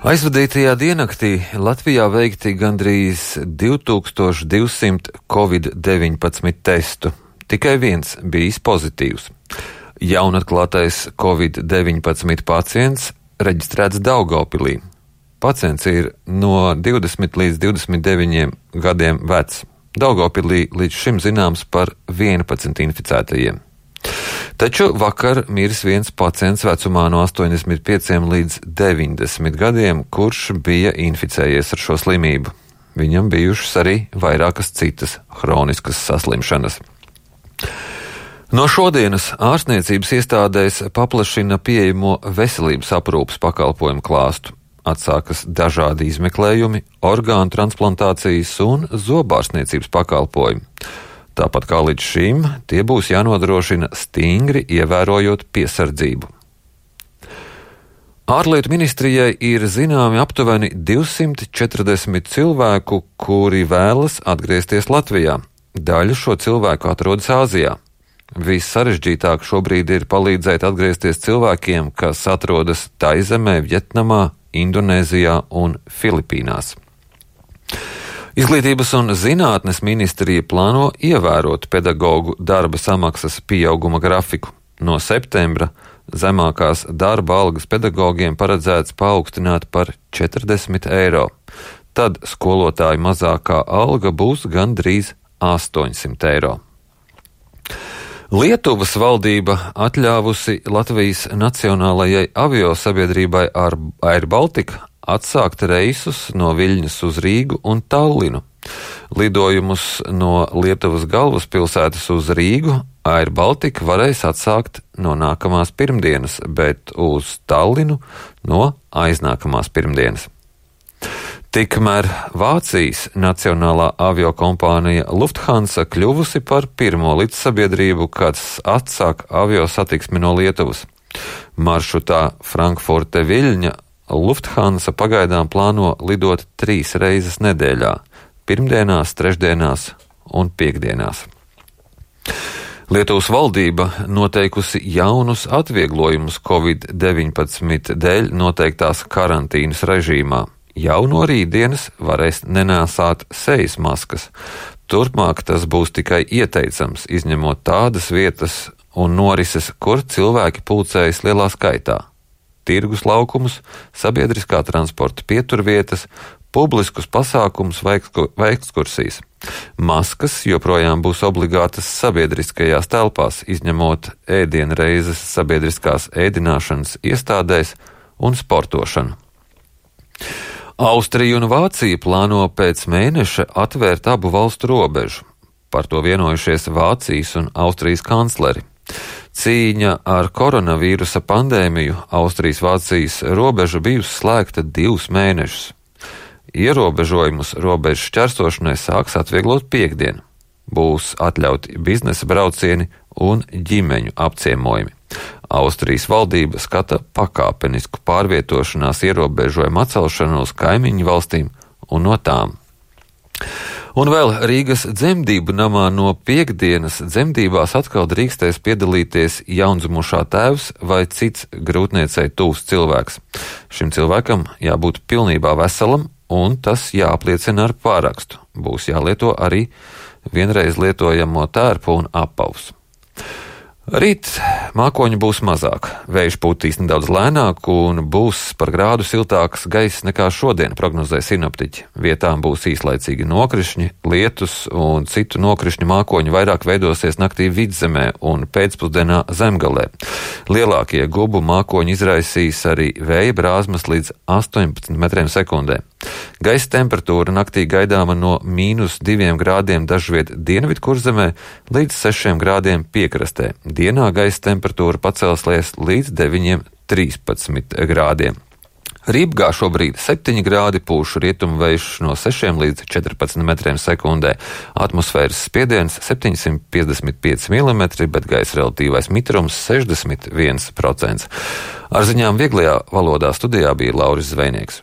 Aizvadītajā diennaktī Latvijā veikti gandrīz 2200 Covid-19 testu. Tikai viens bijis pozitīvs. Jaunatklātais Covid-19 pacients reģistrēts Daugavpilī. Pacients ir no 20 līdz 29 gadiem vecs. Daugavpilī līdz šim zināms par 11 inficētajiem. Taču vakar miris viens pacients vecumā no 85 līdz 90 gadiem, kurš bija inficējies ar šo slimību. Viņam bijušas arī vairākas citas hroniskas saslimšanas. No šodienas ārstniecības iestādēs paplašina pieejamo veselības aprūpes pakalpojumu klāstu. Atsākas dažādi izmeklējumi, orgānu transplantācijas un zobārstniecības pakalpojumi. Tāpat kā līdz šim, tie būs jānodrošina stingri ievērojot piesardzību. Ārlietu ministrijai ir zināmi aptuveni 240 cilvēku, kuri vēlas atgriezties Latvijā. Daļa šo cilvēku atrodas Āzijā. Vissarežģītāk šobrīd ir palīdzēt atgriezties cilvēkiem, kas atrodas Taizemē, Vjetnamā, Indonēzijā un Filipīnās. Izglītības un zinātnes ministrija plāno ievērot pedagogu darba samaksas pieauguma grafiku. No septembra zemākās darba algas pedagogiem paredzēts paaugstināt par 40 eiro. Tad skolotāju mazākā alga būs gandrīz 800 eiro. Lietuvas valdība atļāvusi Latvijas Nacionālajai aviosabiedrībai Air Baltica atsākt reisus no Viļņas uz Rīgu un Tallinu. Lidojumus no Lietuvas galvaspilsētas uz Rīgu Air Baltica varēs atsākt no nākamās pirmdienas, bet uz Tallinu no aiznākamās pirmdienas. Tikmēr Vācijas nacionālā aviokompānija Lufthansa kļuvusi par pirmo līdzsabiedrību, kas atsāk aviosatiksmi no Lietuvas. Maršrutā Frankfurte Viļņa Lufthansa pagaidām plāno lidot 3 reizes nedēļā – pirmdienās, trešdienās un piekdienās. Lietuvas valdība noteikusi jaunus atvieglojumus Covid-19 dēļ noteiktās karantīnas režīmā. Jau no rītdienas varēs nenēsāt sejas maskas. Turpmāk tas būs tikai ieteicams, izņemot tādas vietas un norises, kur cilvēki pulcējas lielā skaitā. Tirgus laukumus, sabiedriskā transporta pieturvietas, publiskus pasākumus vai ekskursijas. Maskas joprojām būs obligātas sabiedriskajās telpās, izņemot ēdienreizes sabiedriskās ēdināšanas iestādēs un sportošanu. Austrija un Vācija plāno pēc mēneša atvērt abu valstu robežu. Par to vienojušies Vācijas un Austrijas kancleri. Cīņa ar koronavīrusa pandēmiju Austrijas-Vācijas robeža bijusi slēgta 2 mēnešus. Ierobežojumus robežu šķērsošanai sāks atvieglot piekdien. Būs atļauti biznesa braucieni un ģimeņu apciemojumi. Austrijas valdība skata pakāpenisku pārvietošanās ierobežojumu atcelšanu uz kaimiņu valstīm un no tām. Un vēl Rīgas dzemdību namā no piekdienas dzemdībās atkal drīkstēs piedalīties jaundzimušā tēvs vai cits grūtniecei tuvs cilvēks. Šim cilvēkam jābūt pilnībā veselam, un tas jāapliecina ar pārakstu. Būs jālieto arī vienreiz lietojamo tērpu un apavus. Rīt mākoņu būs mazāk, vējš pūtīs nedaudz lēnāk un būs par grādu siltāks gaiss nekā šodien, prognozē sinoptiķi. Vietām būs īslaicīgi nokrišņi, lietus un citu nokrišņu mākoņu vairāk veidosies naktī Vidzemē un pēcpusdienā Zemgalē. Lielākie gubu mākoņi izraisīs arī vēja brāzmas līdz 18 metriem sekundē. Gaisa temperatūra naktī gaidāma no -2 grādiem dažviet Dienvidkurzemē līdz 6 grādiem piekrastē. Dienā gaisa temperatūra pacelsies līdz 9–13 grādiem. Rībgā šobrīd 7 grādi, pūš rietumu vējš no 6 līdz 14 metriem sekundē. Atmosfēras spiediens 755 mm, bet gaisa relatīvais mitrums 61%. Ar ziņām vieglajā valodā studijā bija Lauris Zvejnieks.